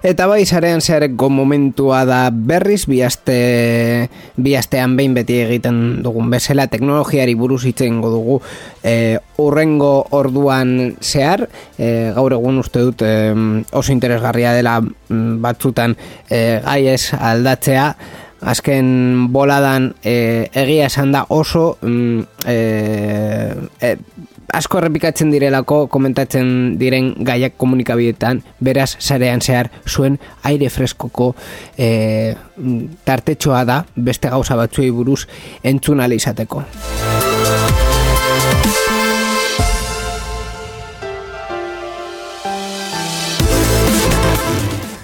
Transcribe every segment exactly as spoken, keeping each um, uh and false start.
Eta bai, sarean zehareko momentua da berriz, biaste, biastean behin beti egiten dugun bezala, teknologiari buruz hitz egingo dugu e, urrengo orduan zehar, e, gaur egun uste dut e, oso interesgarria dela batzutan e, gai ez aldatzea, azken boladan e, egia esan da oso e, e, asko errepikatzen direlako komentatzen diren gaiak komunikabideetan, beraz sarean zehar zuen aire freskoko e, tartetxoa da beste gauza batzuei buruz entzun ahal izateko.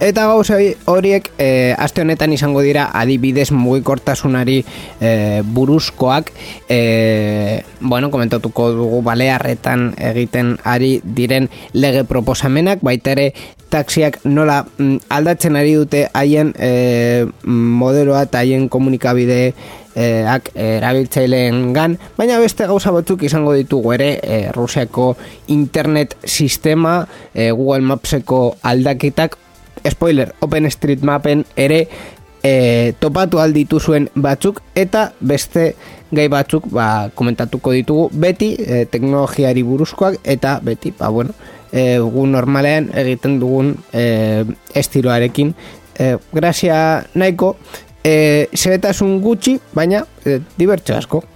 Eta gauza horiek e, aste honetan izango dira adibidez mugikortasunari e, buruzkoak, e, bueno, komentatuko dugu Balearretan egiten ari diren lege proposamenak, baita ere taxiak nola m, aldatzen ari dute haien e, modeloa eta haien komunikabide ak erabiltzaileen gan, baina beste gauza batzuk izango ditugu ere, e, Rusiako internet sistema, e, Google Mapseko aldaketak, spoiler, OpenStreetMapen ere e, topatu alditu zuen batzuk, eta beste gai batzuk ba, komentatuko ditugu beti e, teknologiari buruzkoak, eta beti, ba bueno, e, gu normalean egiten dugun e, estiloarekin e, grazia nahiko e, zeretasun gutxi, baina e, dibertsio asko.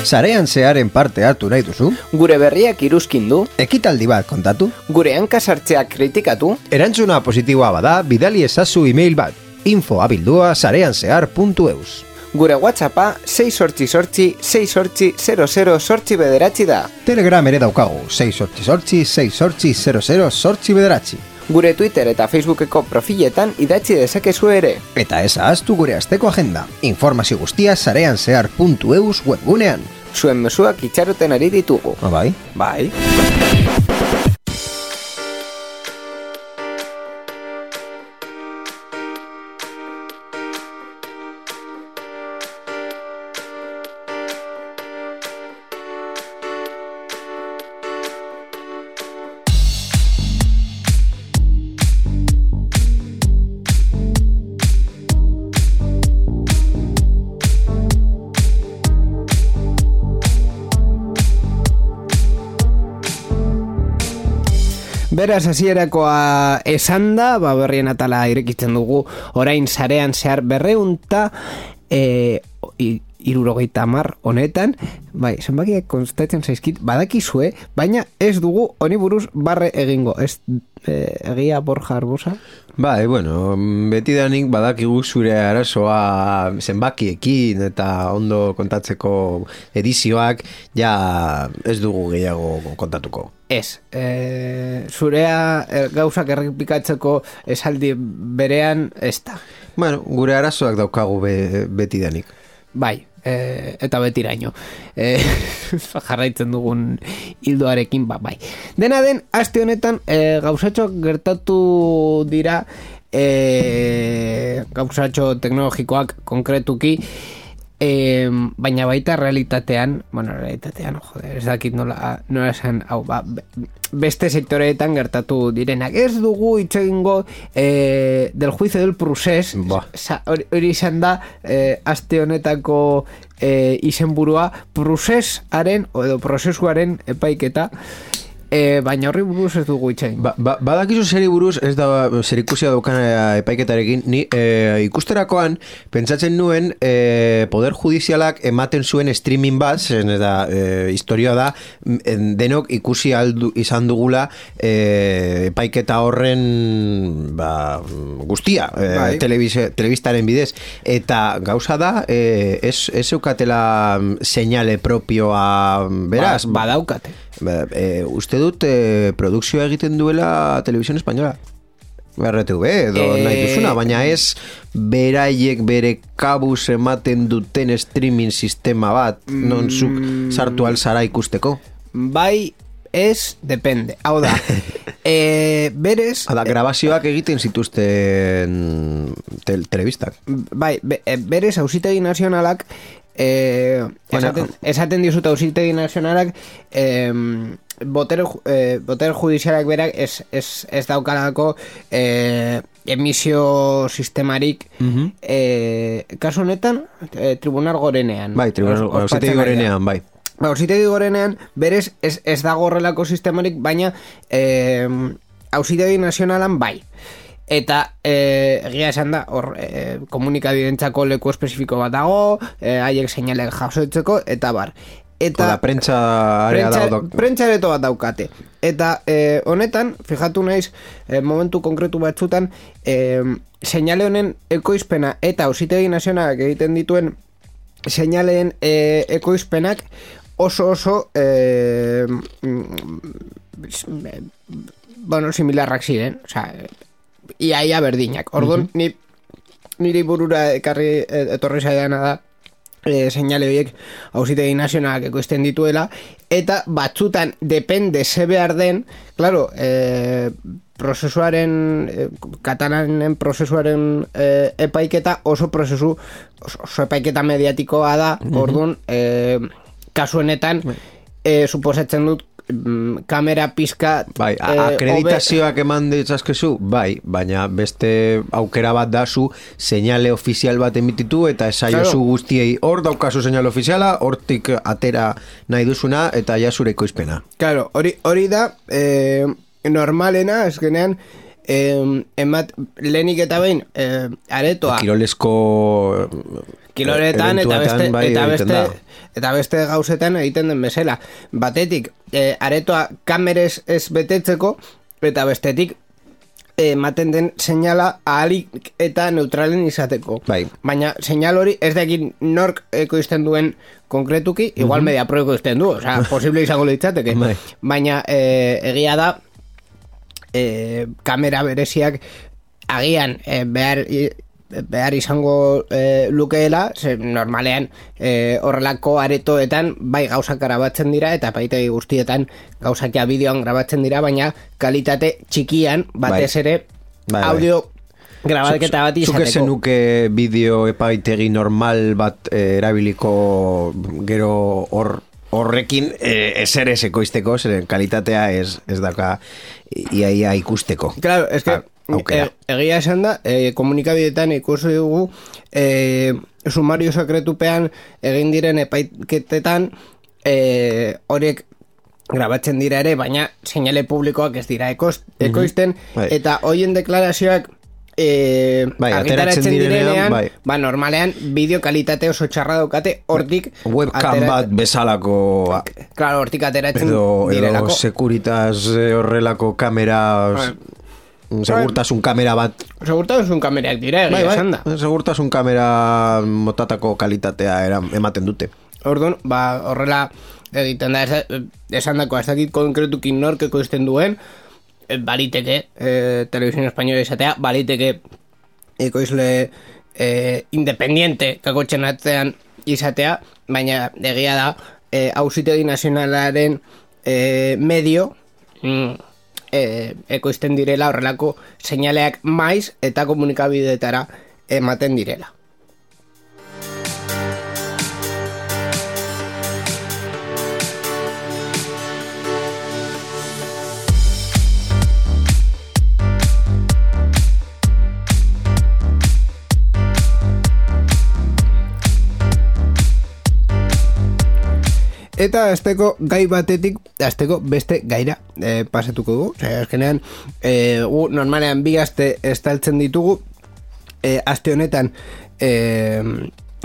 Sarean zearen parte hartu nahi duzu? Gure berriak iruzkin du? Ekitaldi bat kontatu? Gure hankasartzeak kritikatu? Erantzuna positiboa bada, bidali ezazu email bat, info abildua sareanzehar puntu eus. Gure WhatsAppa sei sortzi sortzi sei sortzi zero zero sortzi bederatzi da. Telegram ere daukagu, sei sortzi sortzi sei sortzi zero zero sortzi bederatzi. Gure Twitter eta Facebookeko profiletan idatzi dezakezu ere. Eta ez ahaztu gure asteko agenda. Informazio guztia sareanzehar puntu eus webgunean. Zuen mezuak itxaroten ari ditugu. Ah, bai? Bai. Beraz, hasierakoa esan da, ba, berrien atala irekitzen dugu, orain sarean zehar berreunta e, irurogeita hamar honetan, bai, zenbakiak konstatzen zaizkit, badakizue, baina ez dugu honi buruz barre egingo, ez e, egia Borja Arbosa? Bai, bueno, betidanik badakigu zure arazoa zenbakiekin eta ondo kontatzeko edizioak, ja ez dugu gehiago kontatuko. Ez, e, zurea e, gauzak errepikatzeko esaldi berean ez da. Bueno, gure arazoak daukagu be, betidanik. Bai, e, eta betiraino. E, jarraitzen dugun hildoarekin, ba, bai. Dena den, aste honetan e, gauzatxoak gertatu dira, e, gauzatxo teknologikoak konkretuki, E, baina baita realitatean, bueno, realitatean, joder, ez dakit nola, nola esan, hau, ba, beste sektoreetan gertatu direnak. Ez dugu hitz egingo e, del juicio del procés, hori izan da, e, aste honetako e, izenburua, procesaren, edo prozesuaren epaiketa, e, baina horri buruz ez dugu itxain. Ba, ba, badakizu zeri buruz, ez da zerikusia daukan epaiketarekin, ni e, ikusterakoan, pentsatzen nuen e, Poder Judizialak ematen zuen streaming bat, zen ez da, e, historia da, denok ikusi aldu, izan dugula e, epaiketa horren ba, guztia, e, bai. telebistaren bidez, eta gauza da, e, ez, ez eukatela señale propioa, beraz? Ba, badaukate. Ba, e, uste dut e, produkzioa egiten duela Televisión Española. R T V edo e... nahi duzuna, baina ez beraiek bere kabuz ematen duten streaming sistema bat, mm... non zuk sartu alzara ikusteko. Bai, ez, depende. Hau da, e, berez... Hada, grabazioak egiten zituzten tel, telebistak. Bai, be, berez, Auzitegi Nazionalak Eh, bueno, esaten, esaten dizut Auzitegi Nazionalak eh, boter, eh, boter judizialak berak ez, ez, ez daukalako eh, emisio sistemarik uh-huh. eh, kasu honetan eh, Tribunal Gorenean bai, Tribunal Auzitegi Gorenean bai. Ba, Auzitegi Gorenean berez ez, ez dago horrelako sistemarik, baina eh, Auzitegi Nazionalan bai. Eta eh, egia esan da hor eh, komunikabidentzako leku espezifiko bat dago, eh, haiek seinalek jasotzeko eta bar. Eta Oda, prentsa area dago. Prentsa areto bat daukate. Eta eh, honetan, fijatu naiz, eh, momentu konkretu batzutan, eh, seinale honen ekoizpena eta Auzitegi Nazionalak egiten dituen seinaleen eh, ekoizpenak oso oso eh, bueno, similarrak ziren, osea, iaia berdinak. Orduan, uh-huh. ni, niri burura ekarri etorri zaidana da e, seinale horiek Auzitegi Nazionalak ekoizten dituela, eta batzutan depende ze behar den, claro, e, prozesuaren e, katalanen prozesuaren e, epaiketa oso prozesu oso, oso epaiketa mediatikoa da. Uh-huh. Orduan, e, kasu honetan e, suposatzen dut kamera pizka bai, akreditazioak eman ditzazkezu bai, baina beste aukera bat da zu seinale ofizial bat emititu eta esaiozu claro. Guztiei hor daukazu seinale ofiziala, hortik atera nahi duzuna eta ja zure ekoizpena. Claro, hori hori da eh, normalena, eskenean eh, emat lehenik eta behin eh, aretoa kirolesko kiloretan eta beste bai, eta beste eta beste gauzetan egiten den bezala. Batetik, e, aretoa kamerez ez betetzeko, eta bestetik ematen den seinala ahalik eta neutralen izateko. Bai. Baina seinal hori ez dakin nork ekoizten duen konkretuki, igual uh-huh. Mediapro ekoizten du, osea, posible izango litzateke. Bai. Baina e, egia da e, kamera bereziak agian e, behar behar izango e, lukeela, ze normalean e, horrelako aretoetan bai gauzak grabatzen dira eta epaitegi guztietan gauzakia bideoan grabatzen dira, baina kalitate txikian batez ere bai, audio bai. Grabaketa bat izateko. Zuk ezen nuke bideo epaitegi normal bat e, erabiliko gero hor horrekin e, ezer ez ekoizteko, zeren kalitatea ez, ez daka iaia ikusteko. Claro, es que E, egia esan da, e, komunikabidetan ikusi dugu e, sumario sekretupean egin diren epaiketetan e, horiek grabatzen dira ere, baina seinale publikoak ez dira ekoz, ekoizten, mm-hmm. eta hoien deklarazioak e, bai, argitaratzen direnean, bai. Ba, normalean bideo kalitate oso txarra daukate, hortik webcam atera... bat bezalako claro, hortik ateratzen edo, direlako edo Securitas horrelako kamera bai. Segurtasun kamera bat. Segurtasun kamerak dira, egia bai, esan da. Segurtasun kamera motatako kalitatea era, ematen dute. Orduan, ba, horrela egiten da, esan dako, ez dakit konkretukin nork ekoizten duen, baliteke, eh, Televisión Española izatea, baliteke ekoizle eh, independiente kakotxen atzean izatea, baina egia da, eh, Auzitegi Nazionalaren eh, medio, mm, E, ekoizten direla horrelako seinaleak maiz eta komunikabidetara ematen direla. eta azteko gai batetik, azteko beste gaira e, pasatuko dugu. Osea, azkenean, e, gu normalean bi aste estaltzen ditugu, e, aste honetan, e,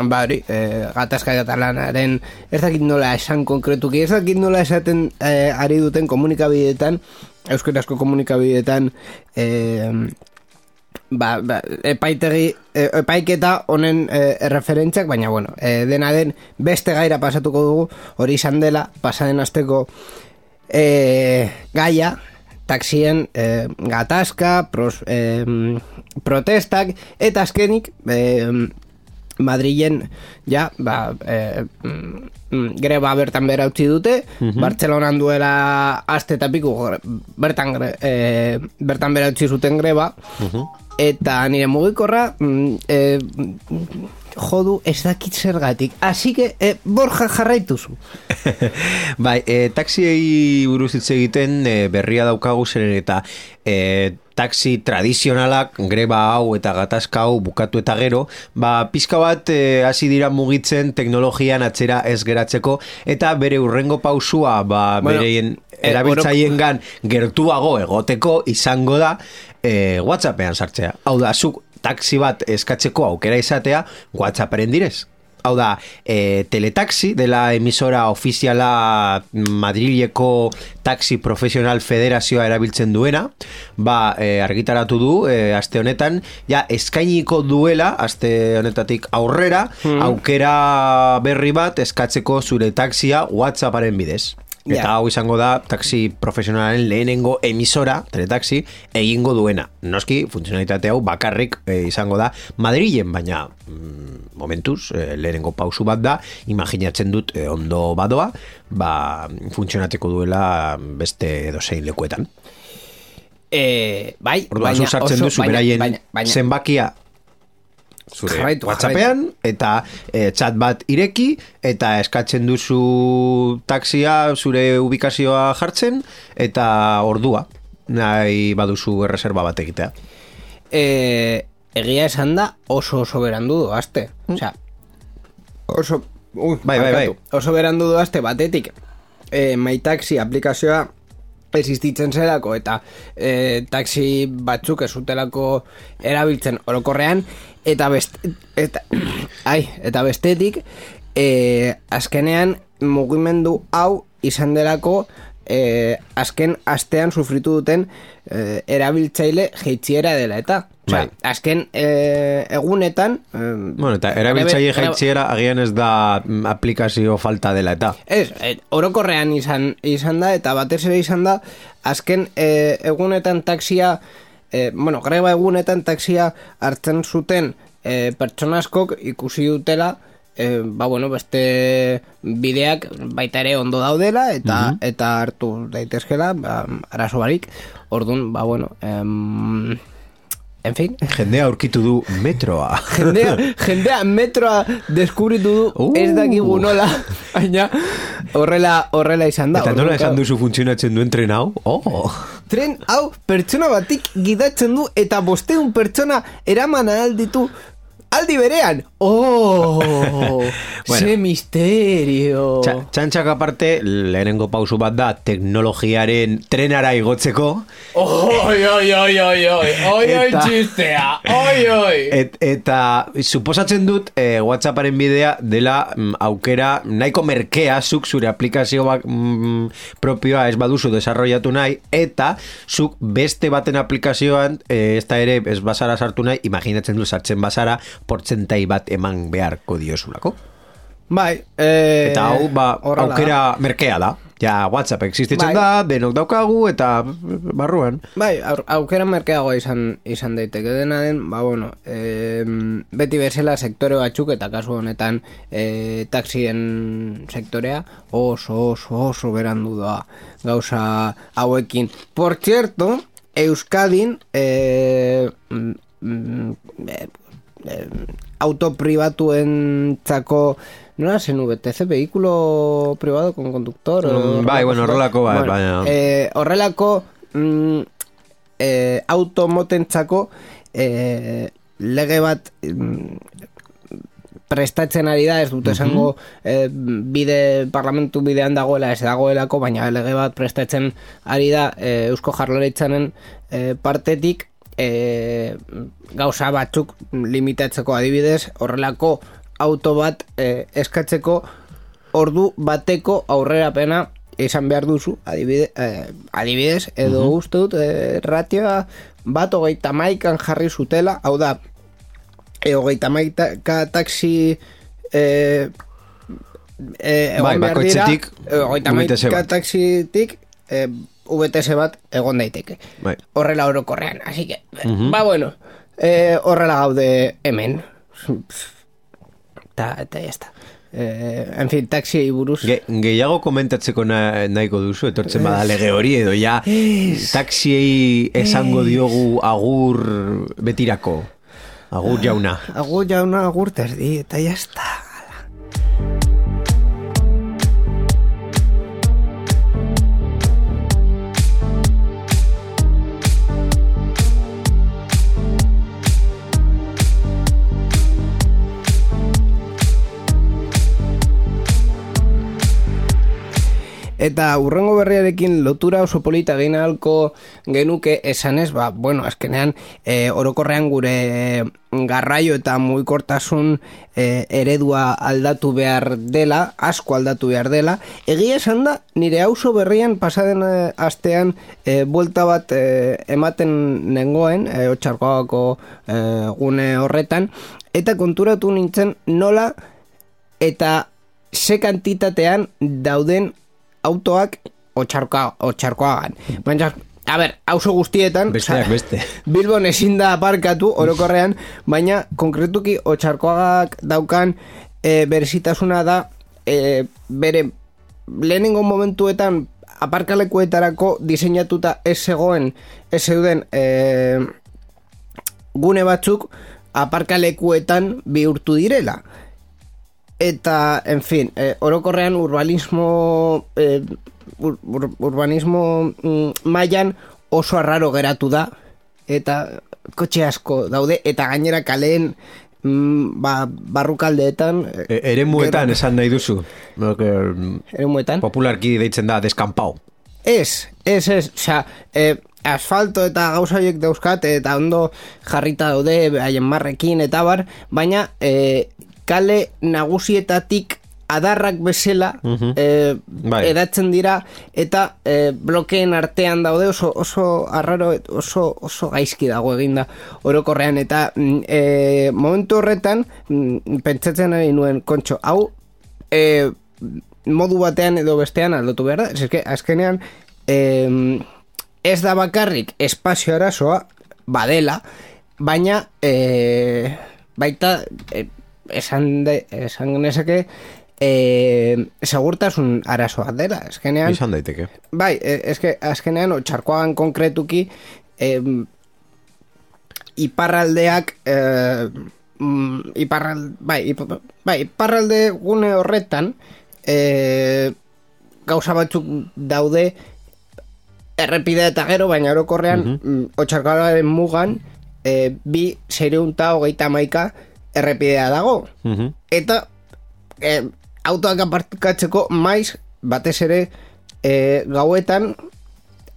ba hori, e, gatazka katalanaren, ez dakit nola esan konkretuki, ez dakit nola esaten e, ari duten komunikabideetan, euskarazko komunikabideetan, e, ba, ba, epaitegi, epaiketa honen e, referentziak, baina bueno, e, dena den beste gaira pasatuko dugu, hori izan dela, pasaden asteko e, gaia, taxien e, gatazka, pros, e, protestak, eta azkenik, e, Madrilen ja, ba, e, mm, greba bertan bera utzi dute, uh-huh. Bartzelonan duela aste eta piku bertan, e, bertan bera utzi zuten greba, uh-huh. Eta nire mugikorra mm, e, jodu ez dakit zergatik, así que e, Borja jarraituzu. Bai, e, taxiei buruz hitz egiten e, berria daukagu zeren eta e, taxi tradizionalak greba hau eta gatazka hau bukatu eta gero, ba, pizka bat e, hasi dira mugitzen teknologian atzera ez geratzeko eta bere urrengo pausua ba, bueno, bereien erabiltzaiengan gertuago egoteko izango da e, WhatsAppean sartzea. Hau da, zuk taxi bat eskatzeko aukera izatea WhatsApparen direz. Hau da, e, Teletaxi, dela emisora ofiziala Madrileko Taxi Profesional Federazioa erabiltzen duena, ba, e, argitaratu du, e, aste honetan, ja, eskainiko duela, aste honetatik aurrera, hmm. aukera berri bat eskatzeko zure taxia WhatsApparen bidez. Eta yeah. hau izango da taxi profesionalen lehenengo emisora, Teletaxi, egingo duena. Noski, funtzionalitate hau bakarrik e, izango da Madrilen, baina mm, momentuz, e, lehenengo pausu bat da, imaginatzen dut e, ondo badoa, ba, funtzionateko duela beste edozein lekuetan. E, bai, Orduan, baina, sartzen duzu beraien zenbakia zure jarraitu, WhatsAppean jarraitu. Eta e, chat bat ireki eta eskatzen duzu taxia zure ubikazioa jartzen eta ordua nahi baduzu erreserba bat egitea. E, egia esan da oso oso berandu doazte. Mm. Osea, oso, uh, bai, bai, bai. oso berandu doazte batetik e, MyTaxi aplikazioa existitzen zelako eta e, taxi batzuk ez zutelako erabiltzen orokorrean eta best, eta, ai, eta bestetik e, azkenean mugimendu hau izan delako e, azken astean sufritu duten e, erabiltzaile jeitziera dela eta Osea, azken e, egunetan e, bueno, eta erabiltzaile jeitziera agian ez da aplikazio falta dela eta ez, e, orokorrean izan, izan da eta batez ere izan da azken e, egunetan taxia e, bueno, greba egunetan taxia hartzen zuten e, pertsona askok ikusi dutela e, ba bueno, beste bideak baita ere ondo daudela eta uh-huh. eta hartu daitezkela ba, arazo barik, ordun ba bueno em, en fin. Jendea aurkitu du metroa. Jendea, jendea metroa deskubritu du uh. ez dakigu nola, baina horrela, horrela izan da. Eta nola esan duzu funtzionatzen duen tren hau? Oh. Tren hau pertsona batik gidatzen du eta bosteun pertsona eraman alditu aldi berean. Oh, bueno, ze misterio. Txa, txantxak aparte, lehenengo pausu bat da teknologiaren trenara igotzeko. Oi, oi, oi, oi, oi, oi, oi, txistea, oi, oi. Et, eta suposatzen dut eh, WhatsApparen bidea dela mm, aukera nahiko merkea zuk zure aplikazio bak, mm, propioa ez baduzu desarrollatu nahi eta zuk beste baten aplikazioan eh, ez da ere ez bazara sartu nahi, imaginatzen du sartzen bazara portzentai bat eman beharko diosulako. Bai, eh, eta hau ba, aukera merkea da. Ja, WhatsApp existitzen bai. Da, denok daukagu eta barruan. Bai, aukera merkeagoa izan, izan daiteke dena den, ba bueno, e, beti bezala sektore batzuk eta kasu honetan e, taxien sektorea oso oso oso berandu da gauza hauekin. Por cierto, Euskadin e, mm, e, Eh, auto pribatuen txako no zen U B T C, vehículo privado con conductor mm, bai, bueno, horrelako bai, bueno, bai, eh, horrelako mm, eh, automoten txako eh, lege bat mm, prestatzen ari da, ez dut esango eh, bide, parlamentu bidean dagoela, ez dagoelako, baina lege bat prestatzen ari da eh, Eusko Jaurlaritzaren eh, partetik, eh, gauza batzuk limitatzeko, adibidez, horrelako auto bat eh, eskatzeko ordu bateko aurrerapena izan behar duzu, adibidez, eh, adibidez edo uh-huh. uste dut, eh, ratioa bat hogeita maikan jarri zutela, hau da, e, hogeita maika taksi e, e, egon bai, behar dira, hogeita maika taksitik e, V T S bat egon daiteke. Bai. Horrela orokorrean, así que, uh-huh. ba bueno, e, horrela gaude hemen. Ta, eta ya está. Eh, en fin, taxi buruz Ge, gehiago komentatzeko na, nahiko duzu etortzen bada lege hori edo ja taxiei esango diogu agur betirako agur jauna agur jauna agur terdi eta ya está. Eta urrengo berriarekin lotura oso polita egin ahalko genuke esanez, ba, bueno, azkenean e, orokorrean gure garraio eta mugikortasun e, eredua aldatu behar dela, asko aldatu behar dela. Egia esan da, nire auzo berrian pasaden e, astean e, buelta bat e, ematen nengoen, e, Otxarkoagako e, gune horretan, eta konturatu nintzen nola eta ze kantitatean dauden autoak Otxarkoa, Otxarkoagan. Baina, a ber, auzo guztietan besteak beste. Bilbon ezin da aparkatu orokorrean, baina konkretuki Otxarkoagak daukan e, berezitasuna da e, bere lehenengo momentuetan aparkalekuetarako diseinatuta ez zegoen ez zeuden e, gune batzuk aparkalekuetan bihurtu direla. Eta, en fin, eh, orokorrean urbanismo eh, ur, ur, urbanismo mm, mailan oso arraro geratu da, eta kotxe asko daude, eta gainera kaleen mm, ba, barrukaldeetan e, eremuetan esan nahi duzu eremuetan popularki deitzen da deskampau. Ez, ez, ez, osea, eh, asfalto eta gauza horiek dauzkat, eta ondo jarrita daude, haien marrekin eta bar, baina eh, kale nagusietatik adarrak bezala uh-huh. e, bai. edatzen dira eta e, blokeen artean daude oso, oso arraro, oso, oso gaizki dago eginda orokorrean eta e, momentu horretan pentsatzen ari nuen kontxo, hau e, modu batean edo bestean aldatu behar da, eske azkenean e, ez da bakarrik espazio arazoa badela, baina e, baita e, esan, de, esan genezake e, segurtasun arazoa dela, eskenean izan daiteke bai, eske azkenean Otxarkoagan konkretuki e, iparraldeak e, iparral, bai, ip, bai, iparralde gune horretan e, gauza batzuk daude errepidea eta gero, baina orokorrean uh-huh. Otxarkoagaren mugan e, bi seiehun hogeita hamaika errepidea dago. Uh-huh. Eta e, autoak aparkatzeko maiz batez ere e, gauetan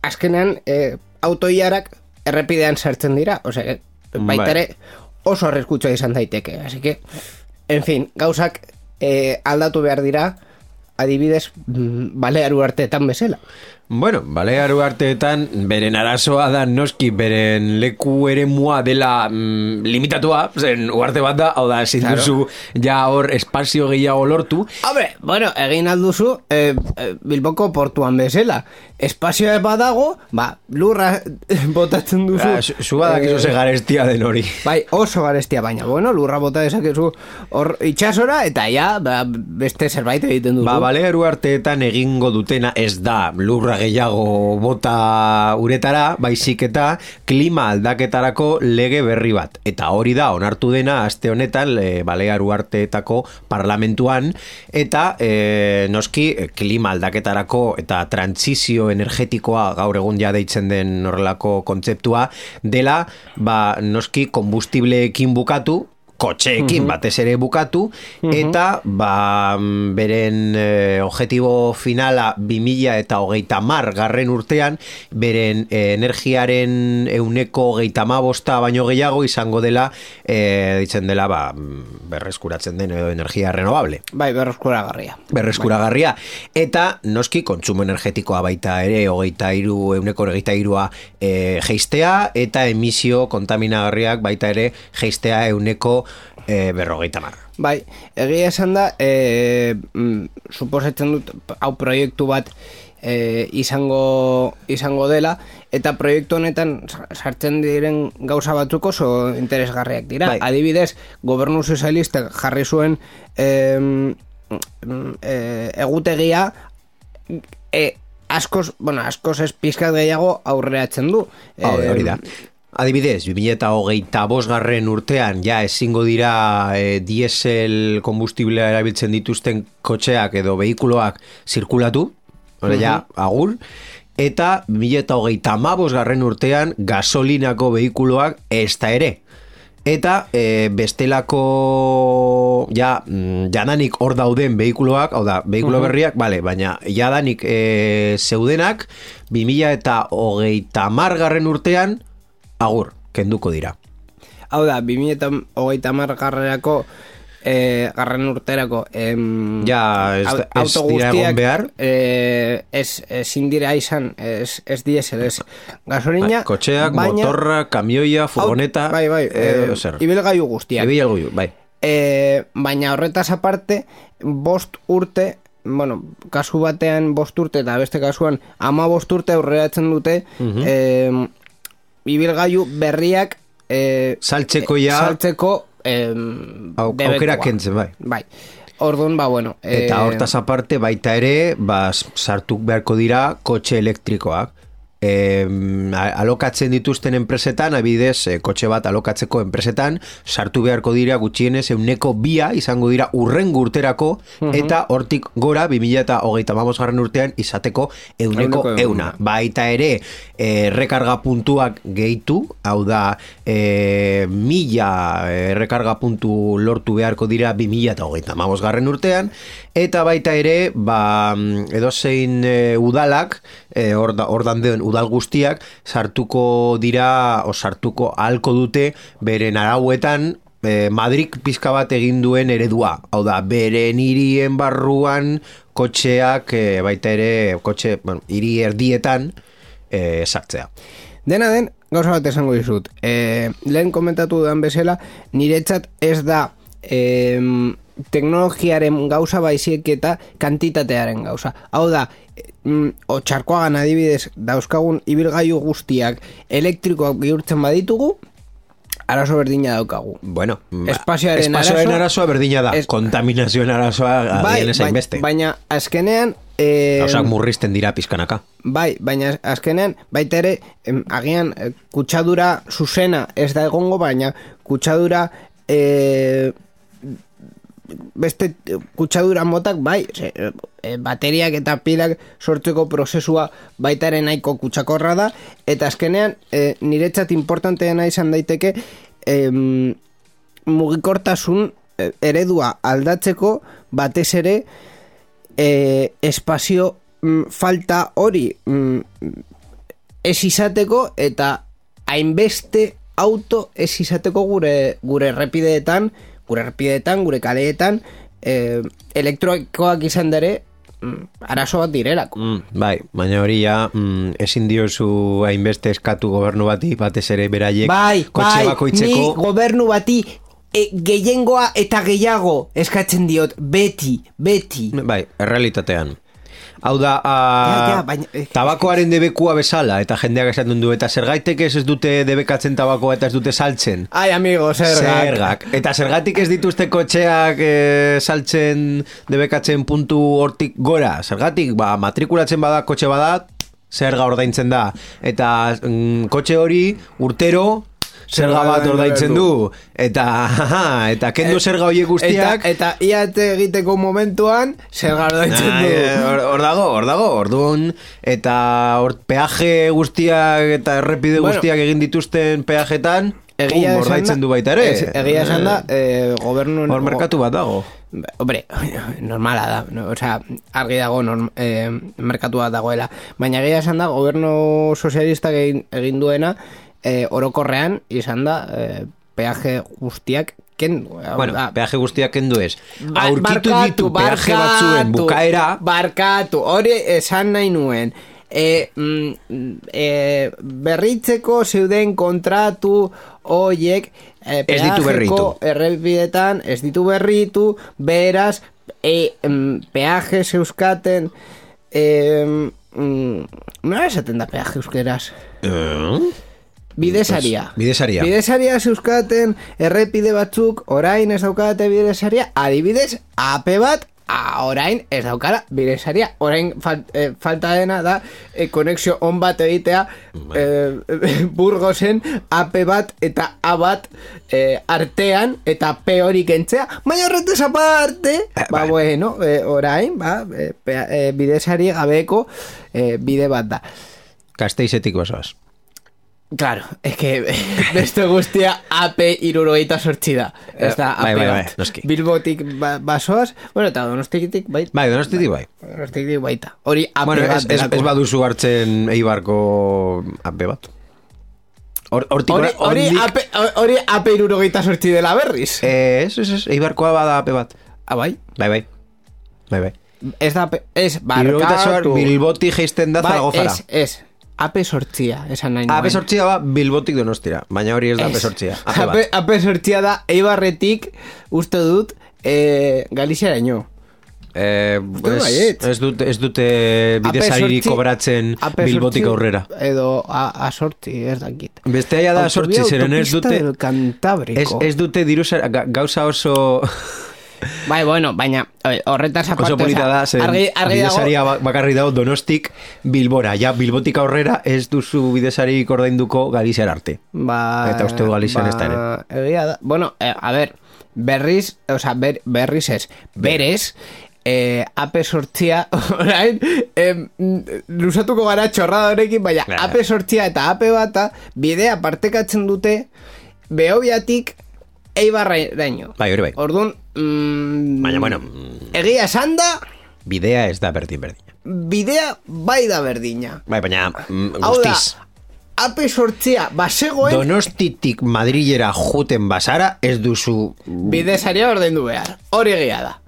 azkenean e, autoiarak errepidean sartzen dira. Osea, baita ere oso arriskutsua izan daiteke. Así que, en fin, gauzak e, aldatu behar dira adibidez Balear Uharteetan bezala. Bueno, Balear Uharteetan beren arazoa da noski beren leku eremua dela mm, limitatua, zen uharte bat da, hau da, ezin claro. duzu ja hor espazio gehiago lortu. Hombre, bueno, egin alduzu eh, Bilboko portuan bezala. Espazioa badago, ba, lurra botatzen duzu. Ah, zu badak eh, ze garestia den hori. Bai, oso garestia, baina, bueno, lurra bota dezakezu hor itxasora, eta ja, ba, beste zerbait egiten duzu. Ba, Balear Uharteetan egingo dutena ez da lurra gehiago bota uretara, baizik eta klima aldaketarako lege berri bat. Eta hori da, onartu dena, aste honetan, e, Balear Uharteetako parlamentuan, eta e, noski, klima aldaketarako eta trantsizio energetikoa gaur egun ja deitzen den horrelako kontzeptua, dela, ba, noski, kombustibleekin bukatu, kotxeekin batez ere bukatu, eta ba, beren eh, objetibo finala bi mila eta hogeita hamar garren urtean, beren eh, energiaren euneko hogeita hamabosta baino gehiago izango dela, eh, ditzen dela, ba, berreskuratzen den edo energia renovable. Bai, berreskuragarria. Berreskuragarria. Eta noski kontsumo energetikoa baita ere, hogeita hiru, euneko hogeita hirua eh, geistea, eta emisio kontaminagarriak baita ere geistea euneko E, berrogeita mar. Bai, egia esan da, e, mm, suposatzen dut, hau proiektu bat e, izango, izango dela, eta proiektu honetan sartzen diren gauza batzuk oso interesgarriak dira. Bai. Adibidez, gobernu sozialistek jarri zuen e, e, egutegia e, askoz, bueno, askoz ez pizkat gehiago aurreatzen du. Hori, hori da. Adibidez, bi mila eta hogeita bosgarren urtean ja ezingo dira e, diesel kombustiblea erabiltzen dituzten kotxeak edo behikuloak zirkulatu, hori ja, agur, eta bi mila eta hogeita hamabosgarren urtean gasolinako behikuloak ez da ere. Eta e, bestelako ja, jadanik hor dauden behikuloak, hau da, behikulo berriak, bale, baina jadanik e, zeudenak bi mila eta hogeita hamargarren urtean agur, kenduko dira. Hau da, bi mila eta hogeita hamar garrerako eh, garren urterako em, ja, ez, ez dira egon behar eh, ez, ezin dira izan ez, ez diesel, ez gasolina, ba, kotxeak, baina, motorra, kamioia, furgoneta, bai, bai, eh, eh, ibilgailu guztiak, ibilgailu, bai. eh, baina horretaz aparte bost urte, bueno, kasu batean bost urte eta beste kasuan ama bost urte aurreratzen dute uh-huh. eh, ibilgailu berriak eh, saltzeko ja saltzeko eh, aukera kentzen, bai. Bai. Orduan, ba, bueno. Eh, eta hortaz aparte baita ere, ba, sartu beharko dira kotxe elektrikoak. E, alokatzen dituzten enpresetan, abidez, e, kotxe bat alokatzeko enpresetan, sartu beharko dira gutxienez euneko bia izango dira urrengo urterako, uh-huh. eta hortik gora, bi mila eta hogeita hamabosgarren urtean izateko euneko euna. Baita ere, e, rekarga puntuak gehitu, hau da, e, mila e, rekarga puntu lortu beharko dira bi mila eta hogeita hamabosgarren urtean, eta baita ere, ba, edozein e, udalak, e, ordan den udal guztiak, sartuko dira, o sartuko ahalko dute, beren arauetan, e, Madrid pizka bat egin duen eredua. Hau da, beren hirien barruan, kotxeak, e, baita ere, kotxe, bueno, hiri erdietan, e, sartzea. Dena den, gauza bat esango dizut. E, lehen komentatu dudan bezala, niretzat ez da e, teknologiaren gauza baizik eta kantitatearen gauza. Hau da, mm, otxarkoagan adibidez dauzkagun ibilgailu guztiak elektrikoak bihurtzen baditugu, arazo berdina daukagu. Bueno, espazioaren arazoa, arazo, arazoa berdina da, es, kontaminazioen arazoa bai, adien ezain beste. Baina azkenean Eh, Hausak murrizten dira pizkanaka. Bai, baina azkenean baita ere em, agian eh, kutsadura zuzena ez da egongo, baina kutsadura eh, beste kutsadura motak bai, ze, e, bateriak eta pilak sortzeko prozesua baita ere nahiko kutsakorra da, eta azkenean e, niretzat importanteena izan daiteke e, mugikortasun eredua aldatzeko batez ere E, espazio mm, falta hori mm, ez izateko eta hainbeste auto ez izateko gure gure errepideetan, gure errepideetan, gure kaleetan e, elektroikoak izan dere mm, arazo bat direlako. Mm, bai, baina hori ja mm, ezin diozu hainbeste eskatu gobernu bati, batez ere beraiek bai, kotxe bai, bakoitzeko. Ni gobernu bati E, gehiengoa eta gehiago eskatzen diot, beti, beti. Bai, errealitatean. Hau da, a, ja, ja, baina, eh, tabakoaren debekua bezala, eta jendeak esaten du, eta zergaitek ez ez dute debekatzen tabakoa eta ez dute saltzen. Ai, amigo, zergak. Zergak. Eta zergatik ez dituzte kotxeak e, saltzen, debekatzen puntu hortik gora. Zergatik, ba, matrikulatzen bada, kotxe bada, zerga ordaintzen da. Eta mm, kotxe hori urtero zerga bat ordaintzen du, eta eta kendu zerga horiek guztiak, eta, eta iate egiteko momentuan zerga ordaintzen du. Hor dago, hor dago, orduan, eta hor peaje guztiak eta errepide bueno, guztiak egin dituzten peajetan, Egia Ordaitzen du baita ere. Ez, egia esan da, eh, gobernu... Hor merkatu bat dago. Hombre, normala da, no? Osea, argi dago norm, eh, merkatu bat dagoela. Baina egia esan da, gobernu sozialistak egin, egin duena, eh, orokorrean, izan da, eh, peaje guztiak kendu. Bueno, da, peaje guztiak kendu ez. Ba, Aurkitu barkatu, ditu peaje barkatu, batzuen bukaera. Barkatu, hori esan nahi nuen. E, mm, e, berritzeko zeuden kontratu hoiek e, ez ditu berritu. Errepidetan ez ditu berritu, beraz e, mm, peaje zeuskaten e, mm, nola esaten da peaje euskeraz? Uh, Bidesaria. Pues, bidesaria. Bidesaria zeuskaten errepide batzuk, orain ez daukate bidesaria, adibidez, ape bat A, orain ez daukara bidesaria. Orain fal, eh, falta dena da eh, konexio on bat egitea eh, Burgosen A P bat eta A bat eh, artean eta P hori kentzea. Baina horretez aparte eh, ba, bueno, eh, orain ba, eh, eh, bidesari gabeko eh, bide bat da. Gasteizetik basoaz. Claro, es que beste guztia A P irurogeita sortzi da. Ez da A P bai, bai, bat. bai, Bilbotik ba, basoaz, bueno, eta donostikitik baita. Bai, donostitik bai. Donostikitik baita. Hori A P bueno, bat. Ez, ez baduzu hartzen Eibarko A P bat. Hortik Hori hori hori A P irurogeita sortzi dela berriz. Eh, ez, ez, ez, Eibarkoa bada A P bat. Ah, bai? Bai, bai. Bai, bai. Ez da, ez, barkatu. Bilbotik geisten da Zaragozara. Ez, ez. A P sortzia, esan nahi nuen. A P sortzia ba Bilbotik Donostira, baina hori ez da A P sortzia. A P sortzia da Eibarretik, uste dut, eh, Galiziaraino. Eh, ez, ez dute, ez dute bidesariri kobratzen Bilbotik aurrera. Edo a, a sortzi, ez dakit. Beste aia da sortzi, zeren ez dute... Ez, ez dute diruzara, gauza oso... Bai, bueno, baina horretaz aparte... Oso polita da, zen argi, argi bidesaria dago... bakarri dago Donostik Bilbora. Ja, Bilbotik aurrera ez duzu bidesari ordainduko Galiziar arte. Ba... Eta uste du Galizian ba, ez da ere. Egia da... Bueno, eh, a ver, berriz, o sea, ber, berriz ez, berez... Eh, A P sortzia orain eh, lusatuko gara txorrada horrekin, baina A P sortzia eta A P bata bidea partekatzen dute Behobiatik Eibarraino. Bai, hori bai. Orduan, mm, baina, bueno, egia esan da bidea ez da berdin berdina. Bidea bai da berdina. Bai, baina mm, guztiz. A P sortzia basegoen Donostitik Madrilera juten basara ez duzu bidesaria ordaindu behar. Hori egia da.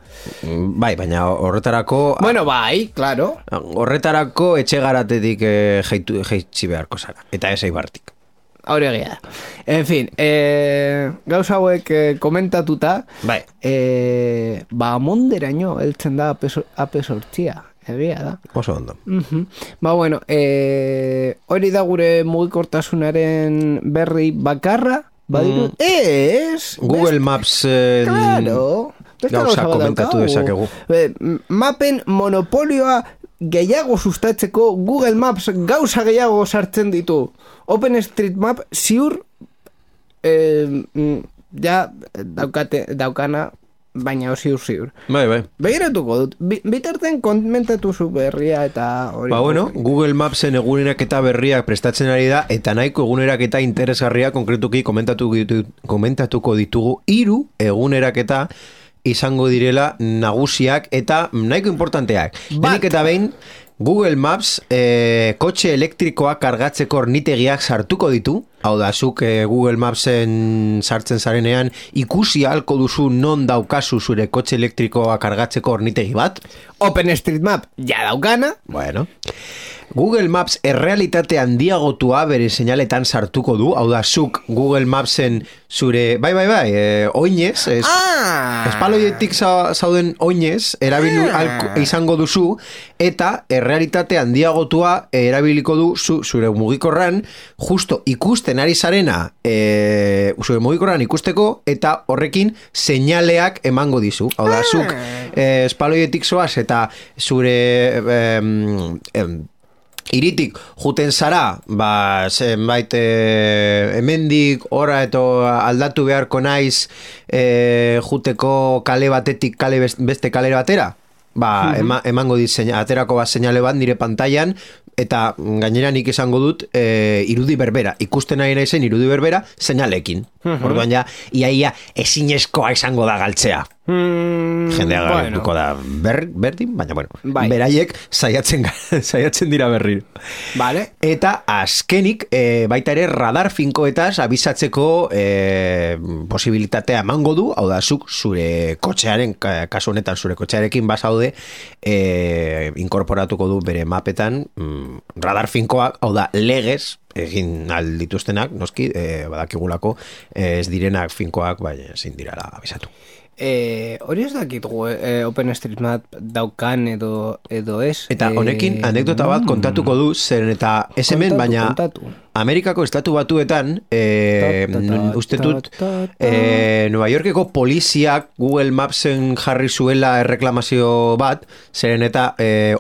Bai, baina horretarako... Bueno, bai, claro. Horretarako etxegaratetik eh, jeitu, jeitsi beharko zara. Eta ez Eibartik. Hori egia da. En fin, eh, gauza hauek eh, komentatuta... Bai. Eh, ba, monderaino heltzen da A P sortzia. Egia da. Oso ondo. Uh-huh. Ba, bueno, eh, hori da gure mugikortasunaren berri bakarra. Badiru... Mm. Ez! Google Maps... Eh, claro... Gauza komentatu dezakegu. Mapen monopolioa gehiago sustatzeko Google Maps gauza gehiago sartzen ditu. OpenStreetMap ziur eh, ja daukate, daukana baina ziur ziur. Bai, bai. Begiratuko dut. Bitarten komentatu zu berria eta hori. Ba, bueno, Google Mapsen egunerak eta berriak prestatzen ari da eta nahiko egunerak eta interesgarria konkretuki komentatu, komentatuko ditugu hiru egunerak eta izango direla nagusiak eta nahiko importanteak. Denik eta behin, Google Maps eh, kotxe elektrikoa kargatzeko ornitegiak sartuko ditu. Hau da, zuk eh, Google Mapsen sartzen zarenean ikusi ahalko duzu non daukazu zure kotxe elektrikoa kargatzeko ornitegi bat. OpenStreetMap ja daukana. Bueno... Google Maps errealitate handiagotua bere seinaletan sartuko du, hau da, zuk Google Mapsen zure, bai, bai, bai, e, oinez, es, ah! espaloietik zauden oinez, erabilu ah! izango duzu, eta errealitate handiagotua erabiliko du zu, zure mugikorran, justo ikusten ari zarena, e, zure mugikorran ikusteko, eta horrekin seinaleak emango dizu, hau da, zuk e, espaloietik zoaz, eta zure... Em, em, iritik juten zara, ba, zenbait e, hemendik ora eto aldatu beharko naiz e, juteko kale batetik kale beste kale batera, ba, ema, emango dit aterako bat seinale bat nire pantailan, eta gainera nik esango dut e, irudi berbera, ikusten nahi naizen irudi berbera seinalekin. Uh-huh. Orduan ja, iaia ezinezkoa izango da galtzea. Hmm, jendea galtuko bueno. da ber, berdin, baina bueno, bai. beraiek saiatzen, saiatzen dira berri. Vale. Eta azkenik e, baita ere radar finkoetaz abisatzeko e, posibilitatea emango du, hau da zuk zure kotxearen, kasu honetan zure kotxearekin bazaude e, inkorporatuko du bere mapetan mm, radar finkoak, hau da legez egin aldituztenak, noski, e, badakigulako e, ez direnak finkoak, baina ezin dirala abisatu. Eh, hori ez dakit eh, OpenStreetMap daukan edo, edo ez. Eta honekin anekdota bat kontatuko du, zeren eta ez hemen, baina kontatu. Amerikako estatu batuetan eh, uste dut eh, Nueva Yorkeko poliziak Google Mapsen jarri zuela erreklamazio bat, zeren eta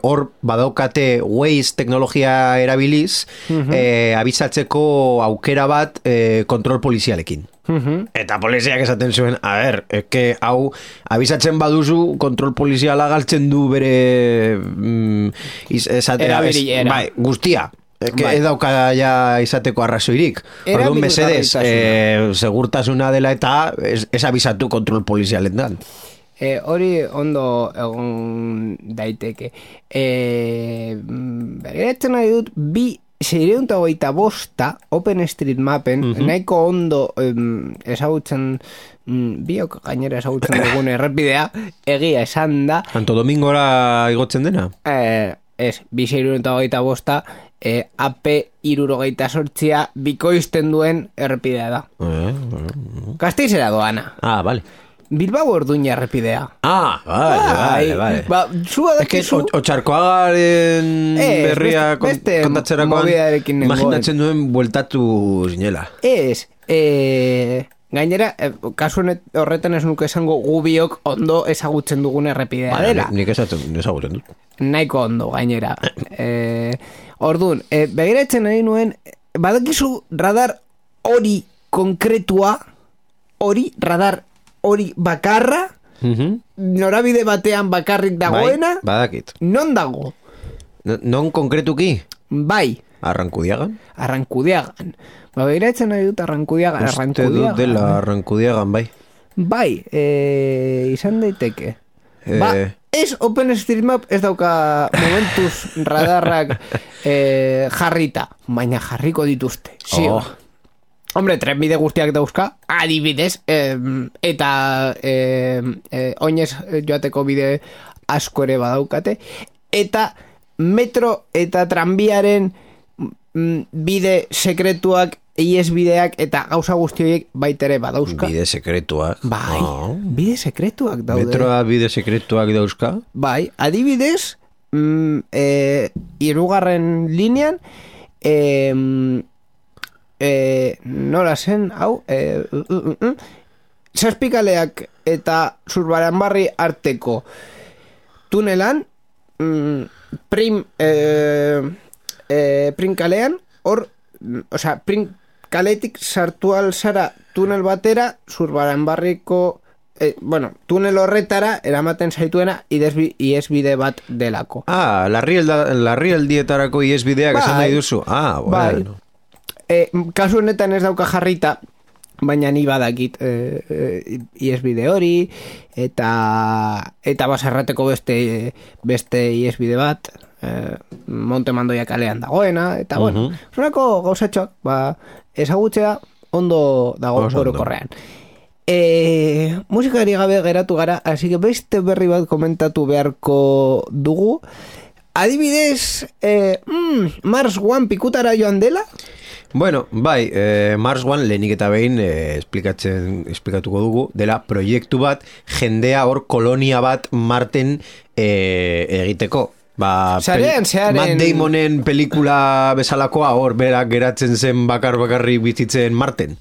hor eh, badaukate Waze teknologia erabiliz uh-huh. eh, abisatzeko aukera bat eh, kontrol polizialekin. Uh-huh. Eta poliziak esaten zuen, a ber, eke hau abisatzen baduzu kontrol poliziala galtzen du bere mm, iz, esatera, es, bai, guztia eke bai. Edauka ja izateko arrazoirik. Orduan mesedez eh, segurtasuna dela eta ez, ez abisatu kontrol polizialendan. Eh, hori ondo egon daiteke. Eh, Begiratzen nahi dut bi seiehun eta hogeita bosta OpenStreetMapen uh-huh. nahiko ondo um, ezagutzen um, biok gainera ezagutzen dugun errepidea egia esan da. Santo Domingora igotzen dena? Eh, ez, bi seiehun eta hogeita bosta eh, A P hirurogeita zortzia bikoizten duen errepidea da. Eh, eh. Gasteizera doana. Ah, vale. Bilbao Orduña errepidea. Ah, vale, vale, vale. Ba, zua es que Otxarkoagaren berria beste, kontatzerakoan imaginatzen duen bueltatu zinela. Ez, eh, gainera, eh, kasu horretan ez nuke esango gubiok ondo ezagutzen dugun errepidea ba, dela. Nik ezagutzen dut. Nahiko ondo, gainera. eh, Orduan, eh, begiratzen nahi nuen, badakizu radar hori konkretua, hori radar hori bakarra, uh-huh. norabide batean bakarrik dagoena, bai, badakit. Non dago? No, non konkretuki? Bai. Arrankudiagan? Arrankudiagan. Ba, behiratzen nahi dut Arrankudiagan. Uste dut dela Arrankudiagan, bai. Bai, e, izan daiteke. E... Ba, ez OpenStreetMap ez dauka momentuz radarrak e, jarrita, baina jarriko dituzte. Zio. Oh. Hombre, trenbide guztiak dauzka, adibidez, eh, eta eh, eh, oinez joateko bide asko ere badaukate, eta metro eta tranbiaren mm, bide sekretuak, iesbideak eta gauza guztioiek baitere badauzka. Bide sekretuak? Bai, oh. bide sekretuak daude. Metroa bide sekretuak dauzka? Bai, adibidez, mm, eh, irugarren linean, eh, Eh, nola zen, hau eh, uh, uh, uh, zazpikaleak eta Zurbaranbarri arteko tunelan mm, prim eh, eh, prim kalean hor, osea, prim kaletik sartu alzara tunel batera Zurbaranbarriko eh, bueno, tunel horretara eramaten zaituena iesbide bat delako. Ah, larrialdietarako iesbideak esan nahi duzu. Ah, bueno. Bai. E, kasu honetan ez dauka jarrita, baina ni badakit e, e, iesbide hori eta eta baserrateko beste beste iesbide bat e, Monte Mandoia kalean dagoena eta uh-huh. bueno, zonako gauzatxoak ba, ezagutzea ondo dago orokorrean. E, musikari gabe geratu gara, así que beste berri bat komentatu beharko dugu. Adibidez, e, mm, Mars One pikutara joan dela? Bueno, bai, eh, Mars One lehenik eta behin eh, esplikatzen, esplikatuko dugu, dela proiektu bat, jendea hor kolonia bat Marten eh, egiteko. Ba, Zaren, zaren... Matt Damonen pelikula bezalakoa hor berak geratzen zen bakar bakarri bizitzen Marten.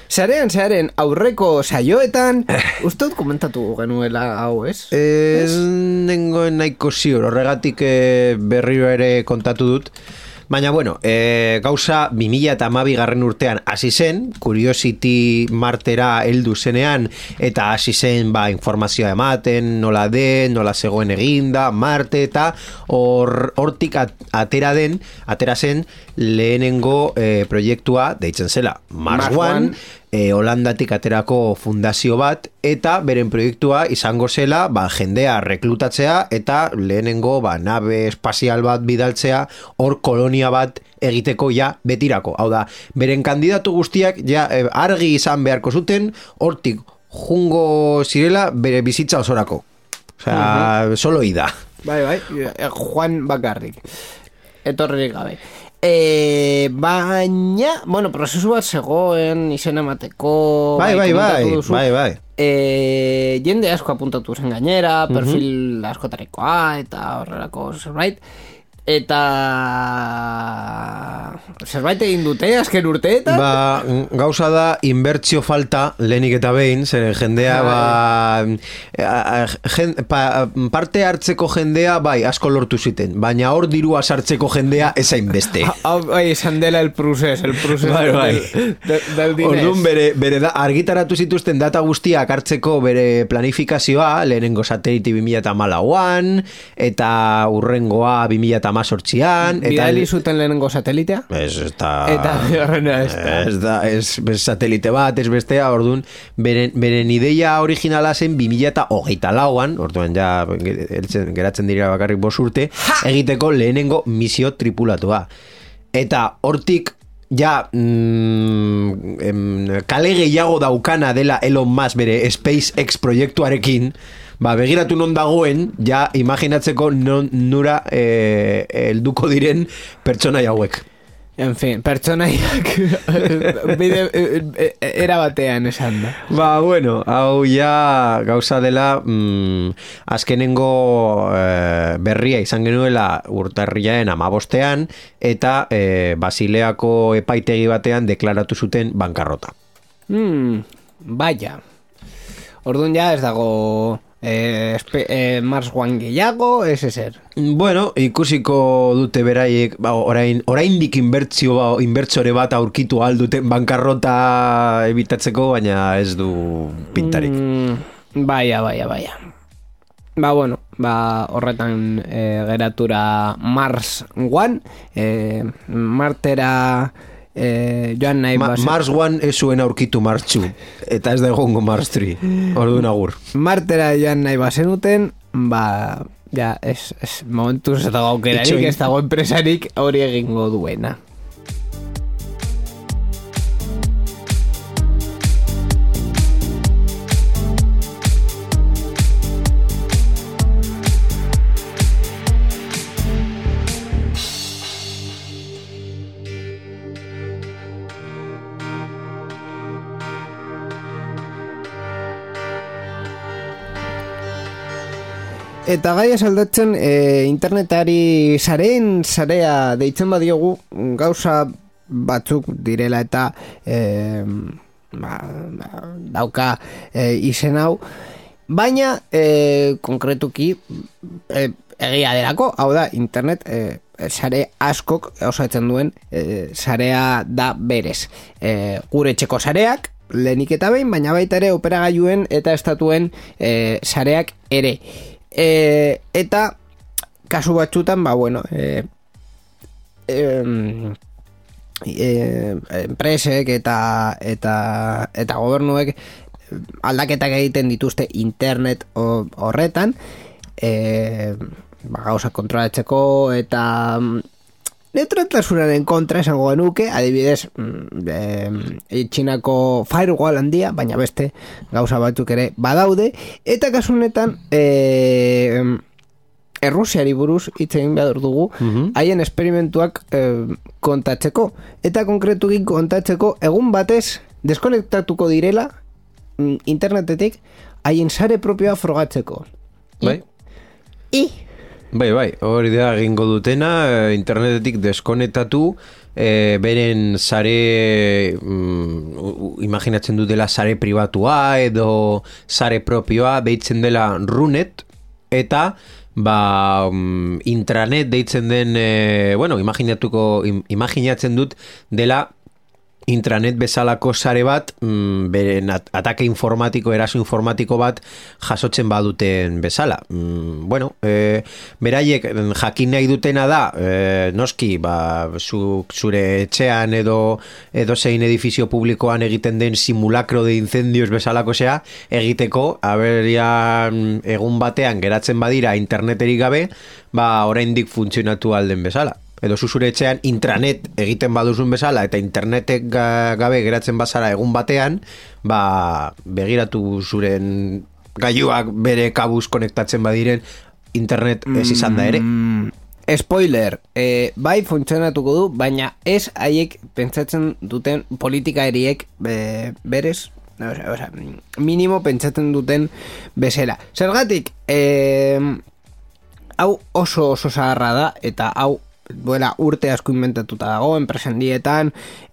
Zaren, zaren, aurreko saioetan, ustot komentatu genuela hau, ez? Ez nengoen nahiko ziur, horregatik eh, berriro ere kontatu dut. Baina, bueno, e, gauza bi mila hamabi garren urtean hasi zen, Curiosity Martera heldu zenean, eta hasi zen ba, informazioa ematen, nola den, nola zegoen eginda, Marte, eta hor, hortik atera den, atera zen lehenengo e, proiektua, deitzen zela, Mars, Mars One, One. E, Holandatik aterako fundazio bat, eta beren proiektua izango zela ba, jendea reklutatzea eta lehenengo ba, nabe espazial bat bidaltzea hor kolonia bat egiteko ja betirako. Hau da, beren kandidatu guztiak ja e, argi izan beharko zuten hortik jungo zirela bere bizitza osorako. Osea, uh-huh. Solo ida. Bai, bai, Juan bakarrik. Etorririk gabe. E, baina, bueno, prozesu bat zegoen izen emateko. Bai, bai, bai, bai, bai. E, jende asko apuntatu zen gainera, perfil uh-huh. askotarikoa eta horrelako zerbait. Eta zerbait egin dute azken urteetan? Ba, gauza da inbertsio falta lehenik eta behin, zer jendea ba, jen, pa, parte hartzeko jendea bai asko lortu ziten, baina hor dirua sartzeko jendea ezain beste. Hau bai, izan dela el procés, el procés bai, bai. del, del, del diners. Orduan bere, bere da, argitaratu zituzten data guztiak hartzeko bere planifikazioa, lehenengo satelite bi mila hamalauan, eta urrengoa bi mila hamazortzian. Bidali zuten lehenengo satelitea? Ez, ez da... Eta horrena ez da. Ez da, ez, ez satelite bat, ez bestea, orduan, beren, beren ideia originala zen bi mila hogeita lauan, orduan ja geratzen dira bakarrik bost urte, egiteko lehenengo misio tripulatua. Eta hortik, ja, mm, em, kale gehiago daukana dela Elon Musk bere SpaceX proiektuarekin, ba, begiratu non dagoen, ja, imaginatzeko non, nura eh, elduko diren pertsonai hauek. En fin, pertsonaiak bide era batean esan da. Ba, bueno, hau ja gauza dela mm, azkenengo eh, berria izan genuela urtarriaren hamabostean eta eh, Basileako epaitegi batean deklaratu zuten bankarrota. Hmm, vaya. Orduan ja ez dago... Eh, espe, eh, Mars One gehiago, ez ezer. Bueno, ikusiko dute beraiek, ba, orain, oraindik inbertsio, ba, inbertsore bat aurkitu alduten bankarrota ebitatzeko, baina ez du pintarik. Mm, baia, baia, baia. Ba, bueno, ba, horretan eh, geratura Mars One, eh, Martera... Eh, joan nahi Ma, Mars One ez zuen aurkitu Mars Two eta ez da egongo Mars Three. Orduan agur. Martera joan nahi bazenuten, ba, ja, ez, ez momentuz ez dago aukerarik, ez dago enpresarik hori egingo duena. Eta gai esaldatzen e, internetari sareen sarea deitzen badiogu gauza batzuk direla eta e, ba, dauka e, izen hau, baina e, konkretuki e, egia derako, hau da, internet e, sare askok osatzen duen e, sarea da berez. E, gure etxeko sareak, lehenik eta behin, baina baita ere operagailuen eta estatuen e, sareak ere. E, eta kasu batzutan ba bueno e, e, e, enpresek eta eta eta gobernuek aldaketak egiten dituzte internet horretan e, ba, gauza kontrolatzeko eta neutraltasunaren kontra esango genuke, adibidez e, Txinako firewall handia, baina beste gauza batzuk ere badaude, eta kasu honetan e, Errusiari buruz hitz egin behar dugu, haien uh-huh. esperimentuak e, kontatzeko, eta konkretuki kontatzeko egun batez deskonektatuko direla internetetik haien sare propioa frogatzeko. Bai? I... Bai, bai, hori da egingo dutena, internetetik deskonektatu, e, beren sare, mm, imaginatzen dutela sare pribatua edo sare propioa, deitzen dela Runet, eta ba, um, intranet deitzen den, e, bueno, imaginatuko, im, imaginatzen dut dela intranet bezalako sare bat, mm, beren at atake informatiko, eraso informatiko bat jasotzen baduten bezala. Mm, bueno, e, beraiek jakin nahi dutena da, e, noski, ba, zu, zure etxean edo edo zein edifizio publikoan egiten den simulacro de incendios bezalako zea, egiteko, aberian egun batean geratzen badira interneterik gabe, ba, oraindik funtzionatu alden bezala. Edo zuzure etxean intranet egiten baduzun bezala eta internetek gabe geratzen bazara egun batean, ba, begiratu zuren gailuak bere kabuz konektatzen badiren internet ez izan da ere. Mm, spoiler, e, bai funtzionatuko du, baina ez haiek pentsatzen duten politikariek e, berez, o sea, o sea, minimo pentsatzen duten bezala. Zergatik, e, hau oso oso zaharra da eta hau duela urte asko inventatuta dago enpresen dietan,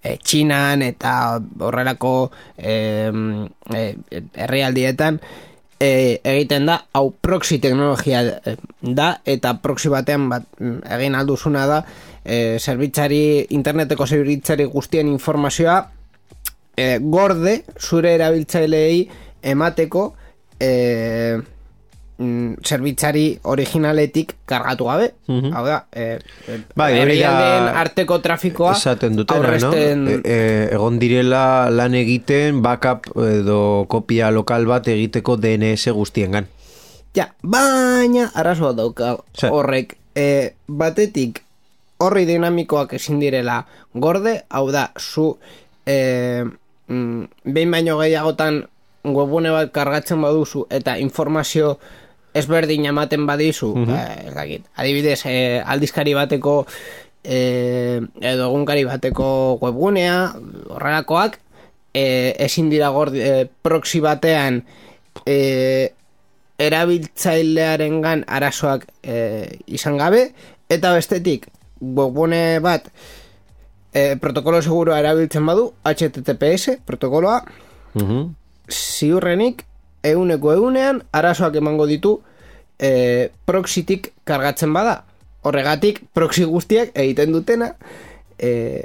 e, Txinan eta horrelako e, e, herrialdietan e, egiten da, hau proxy teknologia da eta proxy batean bat, egin alduzuna da e, zerbitzari, interneteko zerbitzari guztien informazioa e, gorde zure erabiltzaileei emateko e, zerbitzari originaletik kargatu gabe. Uh-huh. Hau da, e, e, bai, herrialdeen arteko trafikoa esaten dutena, aurresten... no? E, e, egon direla lan egiten backup edo kopia lokal bat egiteko D N S guztiengan. Ja, baina arazoa dauka horrek. E, batetik horri dinamikoak ezin direla gorde, hau da, zu e, mm, behin baino gehiagotan webune bat kargatzen baduzu eta informazio ezberdin ematen badizu, uh-huh. eh, ez dakit, adibidez, eh, aldizkari bateko eh, edo egunkari bateko webgunea, horrelakoak, eh, ezin dira gordi, eh, proxy batean eh, erabiltzailearengan arazoak eh, izan gabe, eta bestetik, webgune bat eh, protokolo seguroa erabiltzen badu, H T T P S protokoloa, uh-huh. ziurrenik, eguneko egunean arazoak emango ditu e, proxytik kargatzen bada. Horregatik, proxy guztiak egiten dutena e,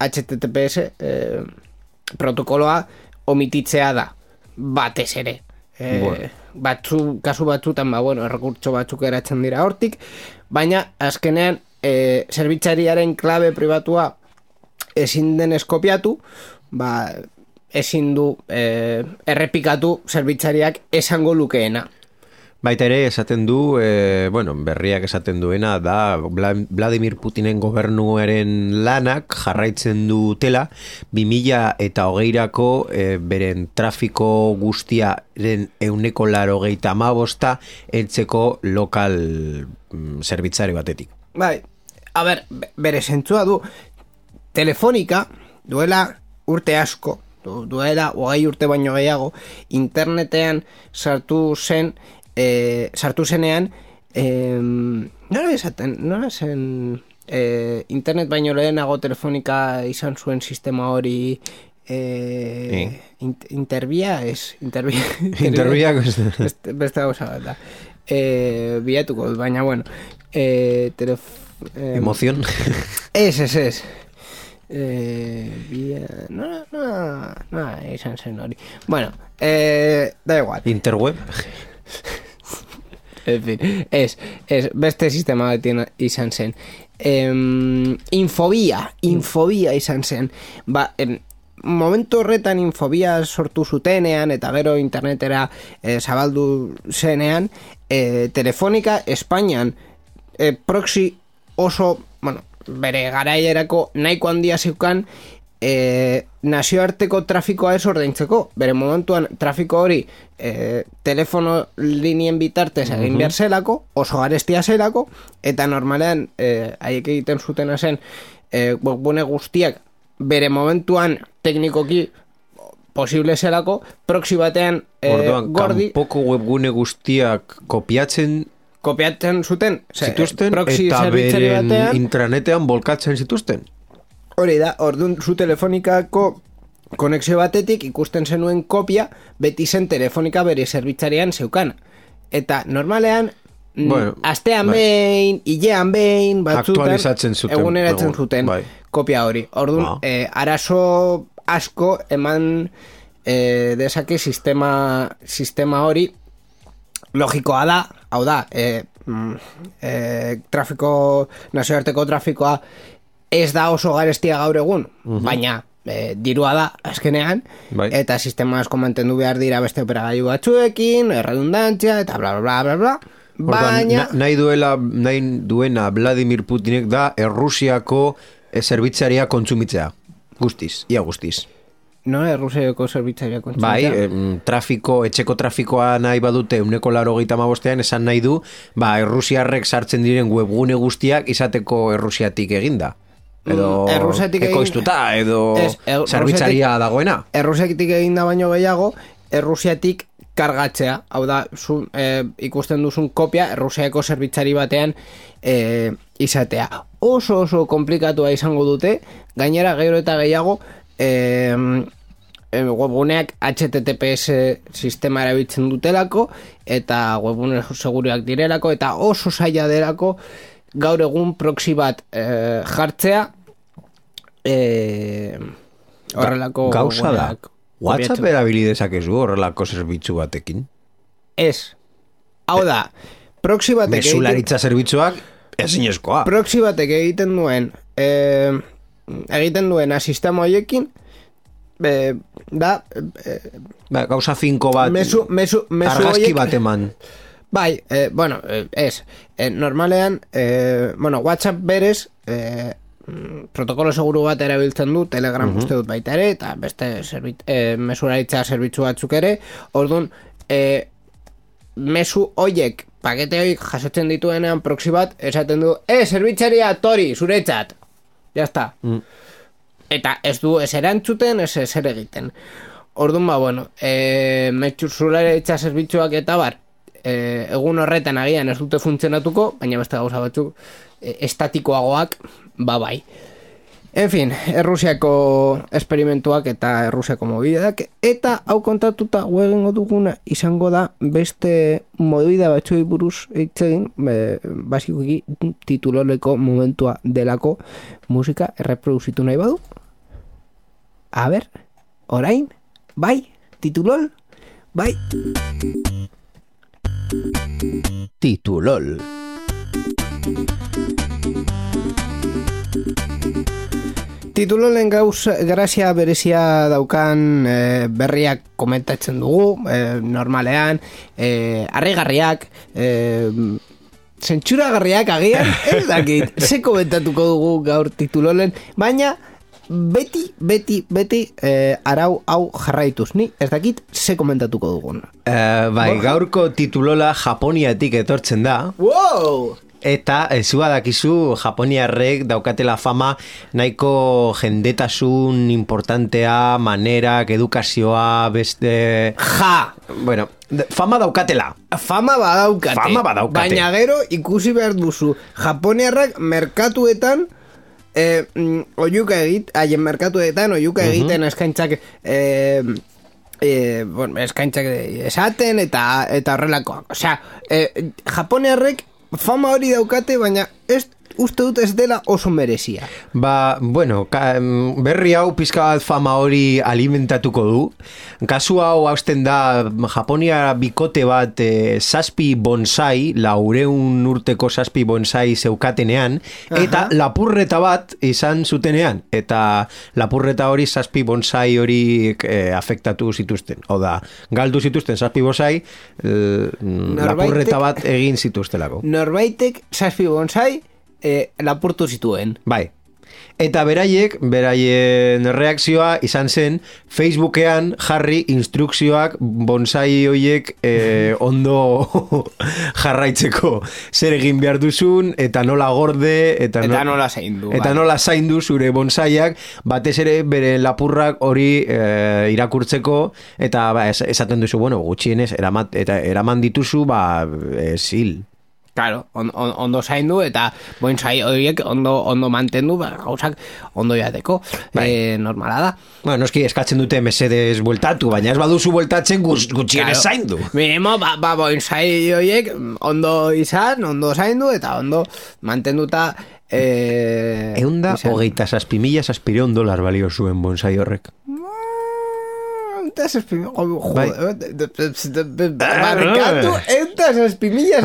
H T T P S e, protokoloa omititzea da. Batez ere. E, bueno. Batzu, kasu batzutan, ba, bueno, errekurtso batzuk eratzen dira hortik, baina azkenean e, zerbitzariaren klabe pribatua ezin denez kopiatu, ba, ezin du eh, errepikatu zerbitzariak esango lukeena. Baita ere esaten du, eh, bueno, berriak esaten duena da Vladimir Putinen gobernuaren lanak jarraitzen dutela bi mila eta hogeirako eh, beren trafiko guztiaren ehuneko laurogeita hamabosta heltzeko lokal mm, zerbitzari batetik. Bai, a ber, bere zentzua du, Telefonika duela urte asko, duela hogei urte baino gehiago, internetean sartu zen, e, sartu zenean, e, nola esaten, nola zen, e, internet baino lehenago Telefonika izan zuen sistema hori, e, eh? Interbia, ez, Interbia, Interbia, beste, beste gauza bat da, e, bilatuko, baina bueno, e, telef, e, emoción, ez, ez, ez, Eh, via... no, no, no, izan zen hori. Bueno, eh, da igual. Interweb. En fin, ez, ez, beste sistema bat izan zen. Eh, infobia, infobia izan zen. Ba, eh, momentu horretan infobia sortu zutenean eta gero internetera eh, zabaldu zenean, eh, Telefonika Espainian eh, proxy oso, bueno, bere garaierako nahiko handia zeukan e, nazioarteko trafikoa ez ordaintzeko. Bere momentuan trafiko hori e, telefono linien bitartez egin behar zelako, oso garestia zelako, eta normalean e, haiek egiten zutena zen e, webgune guztiak bere momentuan teknikoki posible zelako, proxy batean e, Orduan, gordi... kanpoko webgune guztiak kopiatzen kopiatzen zuten zituzten eta beren batean, intranetean bolkatzen zituzten. Hori da, orduan zu Telefonikako konexio batetik ikusten zenuen kopia beti zen Telefonika bere zerbitzarian zeukana. Eta normalean Bueno, astean bai. behin, hilean behin, batzutan, Aktualizatzen zuten. eguneratzen Egun, zuten bai. kopia hori. Orduan, Ba. eh, arazo asko eman eh, dezake sistema, sistema hori logikoa da, hau da, eh, mm, eh, trafiko, nazioarteko trafikoa ez da oso garestia gaur egun, baina e, dirua da azkenean, Bai. eta sistema asko mantendu behar dira beste operagailu batzuekin, erredundantzia, eta bla, bla, bla, bla, Orduan, baina... na- nahi duela, nahi duena Vladimir Putinek da Errusiako eh, zerbitzaria kontsumitzea. Guztiz, ia guztiz. No, Errusiako zerbitzaria Bai, kontsumitzea. em, trafiko, etxeko trafikoa nahi badute uneko laro gehieta mabostean, esan nahi du, ba, Errusiarrek sartzen diren webgune guztiak izateko Errusiatik eginda. Edo Mm, Errusiatik egin- ekoiztuta, edo Ez, Er- zerbitzaria dagoena. Errusiatik egin da baino gehiago, Errusiatik kargatzea, hau da, zu, e, ikusten duzun kopia Errusiako zerbitzari batean e, izatea. Oso oso komplikatua izango dute, gainera gero eta gehiago e, e, webguneak H T T P S sistema erabiltzen dutelako, eta webgune seguriak direlako, eta oso zaila delako gaur egun proxy bat e, jartzea e, horrelako Gauza da. webguneak WhatsApp kopiatzen. erabili dezakezu horrelako zerbitzu batekin. Ez. Hau da, proxy batek egiten, Mesularitza zerbitzuak ezinezkoa. proxy batek egiten duen eh, egiten duena sistema hoiekin eh, da eh, Ba, gauza finko bat, mesu, mesu, mesu argazki hoiek- bat eman. Bai, eh, bueno, eh, ez. Eh, normalean, eh, bueno, WhatsApp berez, eh, mm, protokolo seguru bat erabiltzen du, Telegram uh uste dut baita ere, eta beste zerbit, eh, mesuraritza zerbitzu batzuk ere, orduan, eh, mesu hoiek, pakete hoiek jasotzen dituenean proxy bat, esaten du, eh, zerbitzaria tori, zuretzat. Ya está. Mm. Eta ez du ez erantzuten, ez ezer egiten. Orduan, ba, bueno, e, mesuraritza zerbitzuak eta bar, e, egun horretan agian ez dute funtzionatuko, baina beste gauza batzuk e, estatikoagoak, ba bai. En fin, Errusiako esperimentuak eta Errusiako mobideak, eta hau kontatuta guegengo duguna izango da beste movida batzuei buruz hitz egin, e, basikoki tituloleko momentua delako musika erreproduzitu nahi badu. A ber, orain, bai, titulol, bai. Titulol. Titulolen gauz grazia berezia daukan e, berriak komentatzen dugu, e, normalean, e, harrigarriak, e, zentsuragarriak agian, ez dakit, ze komentatuko dugu gaur titulolen, baina beti, beti, beti e, arau hau jarraituz, ni ez dakit ze komentatuko dugun. Uh, bai, gaurko titulola Japoniatik etortzen da. Wow! Eta zu badakizu Japoniarrek daukatela fama nahiko jendetasun importantea, manerak, edukazioa, beste... Ja! Bueno, de- fama daukatela. Fama badaukate. Fama badaukate. Baina gero ikusi behar duzu. Japoniarrak merkatuetan eh, mm, oiuka egit, haien merkatuetan oiuka egiten eskaintzak eh, eh, bueno, eskaintzak esaten eta eta horrelakoak. Osea, eh, Japoniarrek fama hori daukate, baina ez uste dut ez dela oso merezia. Ba, bueno, ka, berri hau pizka bat fama hori alimentatuko du. Kasu hau hausten da Japonia bikote bat e, zazpi bonsai, laureun urteko zazpi bonsai zeukatenean, eta Aha. lapurreta bat izan zutenean. Eta lapurreta hori zazpi bonsai hori e, afektatu zituzten. Hau da, galdu zituzten zazpi bonsai, e, lapurreta bat egin zituztelako. Norbaitek zazpi bonsai eh, lapurtu zituen. Bai. Eta beraiek, beraien reakzioa izan zen Facebookean jarri instrukzioak bonsai hoiek eh, ondo jarraitzeko. Zer egin behar duzun, eta nola gorde, eta, Eta no- nola zaindu. eta bai. nola zaindu zure bonsaiak, batez ere bere lapurrak hori eh, irakurtzeko, eta ba, es- esaten duzu, bueno, gutxienez, eramat, eta eraman dituzu, ba, eh, zil. Claro, on, on, ondo zaindu eta bonsai horiek ondo ondo mantendu, ba, gauzak ondo jateko, bai. E, normala da. Bueno, noski eskatzen dute mesedez bueltatu, baina ez baduzu bueltatzen gutxien claro. zaindu. Minimo, ba, ba bonsai horiek ondo izan, ondo zaindu eta ondo mantenduta eh, eunda hogeita zazpimila zazpireun dolar balio zuen bonsai horrek. Barrikatu eutas espimillas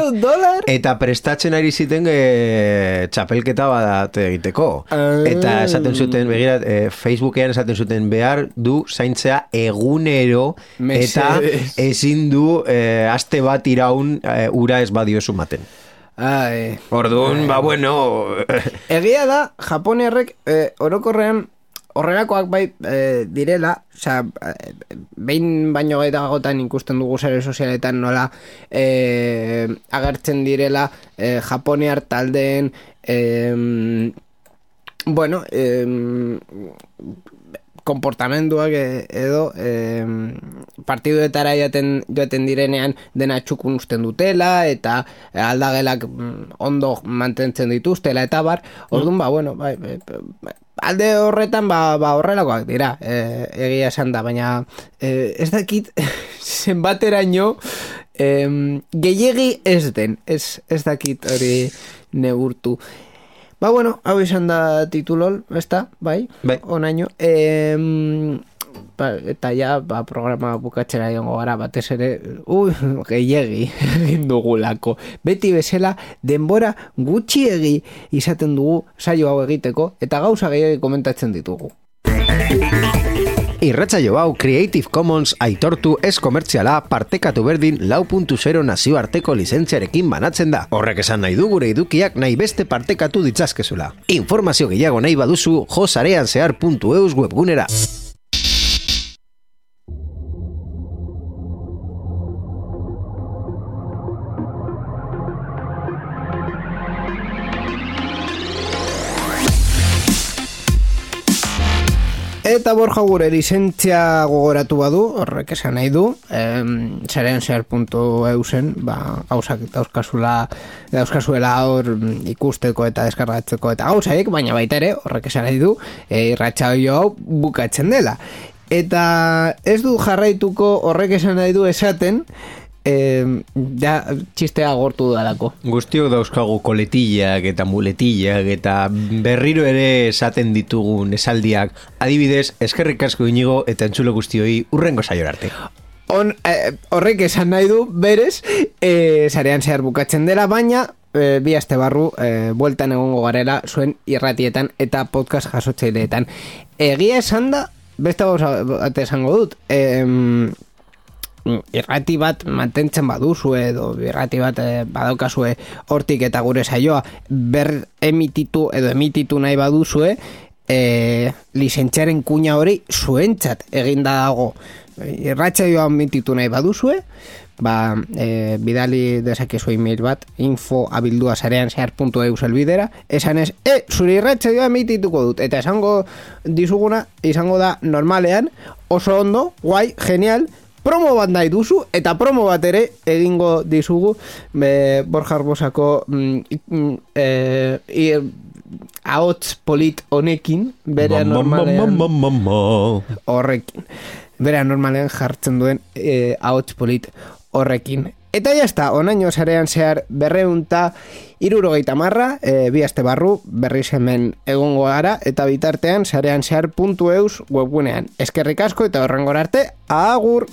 un dólar eta prestatzen ari ziten e, txapelketa bat egiteko eta esaten zuten begira, e, Facebookean esaten zuten behar du zaintzea egunero eta ezin du e, aste bat iraun e, ura ez badio sumaten. Orduan, ba bueno egia da, Japoniarrek e, orokorrean horrelakoak bai e, direla, osea, behin baino gaitagotan ikusten dugu sare sozialetan nola e, agertzen direla e, Japoniar taldeen e, bueno, e, konportamenduak edo e, partiduetara joaten, joaten direnean dena txukun usten dutela eta aldagelak ondo mantentzen dituztela eta bar, orduan ba, bueno, bai, bai, alde horretan ba, ba horrelakoak dira e, egia esan da, baina e, ez dakit zenbateraino e, gehiegi ez den ez, ez dakit hori neurtu. Ba bueno, hau izan da titulol, ezta, bai, bai. Onaino e, ba, eta ja ba, programa bukatzera jongo gara batez ere ui, gehiegi egin dugulako beti bezala denbora gutxiegi izaten dugu saio hau egiteko eta gauza gehiagi komentatzen ditugu. Irratsaio hau Creative Commons aitortu ez komertziala partekatu berdin lau puntu zero nazioarteko lizentziarekin banatzen da. Horrek esan nahi du gure edukiak nahi beste partekatu ditzazkezula. Informazio gehiago nahi baduzu jo sareanzehar puntu eus webgunera. Eta Borja gure lizentzia gogoratu badu, horrek esan nahi du, sareanzehar puntu eusen, ba, gauzak dauzkazula, dauzkazuela hor ikusteko eta deskargatzeko eta gauzaiek, baina baita ere, horrek esan nahi du, e, irratsaio hau bukatzen dela. Eta ez du jarraituko horrek esan nahi du esaten, Eh, ja, txistea gortu dalako. Guztiok dauzkagu koletillak eta muletillak eta berriro ere esaten ditugun esaldiak. Adibidez, eskerrik asko Inigo eta entzule guztioi urrengo saiora arte. On, eh, horrek esan nahi du, berez, eh, sarean zehar bukatzen dela, baina eh, bi aste barru eh, bueltan egongo garela zuen irratietan eta podcast jasotzaileetan. Egia esan da, beste bat esango dut, eh, irrati bat mantentzen baduzue edo irrati bat eh, badaukazue hortik eta gure saioa ber emititu edo emititu nahi baduzue eh, lizentziaren kuña hori zuentzat eginda dago irratsaioa emititu nahi baduzue ba, eh, bidali dezakezu email bat info abildua sareanzehar puntu eus elbidera esan ez, e, zure irratsaioa emitituko dut eta esango dizuguna izango da normalean oso ondo, guai, genial promo bat nahi duzu, eta promo bat ere egingo dizugu be, Borja Arbosako mm, e, ahots polit honekin, bere normalean horrekin. Bere normalean jartzen duen e, ahots polit horrekin. Eta jazta, onaino sarean zehar berreunta irurogeita marra, e, bi aste barru, berriz hemen egongo gara, eta bitartean sarean zehar puntu eus webgunean. Eskerrik asko eta horrengora arte, agur!